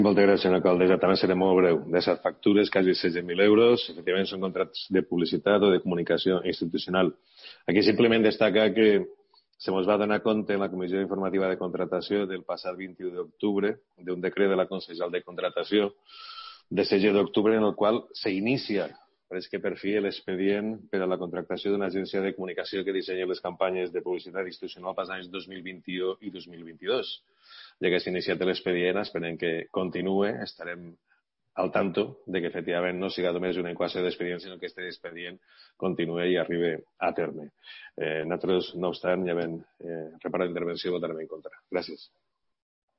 Moltes gràcies, senyora alcaldessa. També seré molt breu. De les factures, quasi 16.000 euros, efectivament són contractes de publicitat o de comunicació institucional. Aquí simplement destaca que se ens va donar compte en la Comissió Informativa de Contratació del passat 21 d'octubre d'un decret de la Consellal de Contratació de 16 d'octubre en el qual s'inicia, pareix que per fi, l'expedient per a la contractació d'una agència de comunicació que dissenya les campanyes de publicitat institucional pels anys 2021 i 2022. Ja que s'ha iniciat l'expedient, esperem que continuï, estarem al tanto de que efectivament no siga només una incoació d'expedient, sinó que aquest expedient continuï i arribi a terme. Nosaltres, no obstant, ja ben reparat l'intervenció, votarem en contra. Gràcies.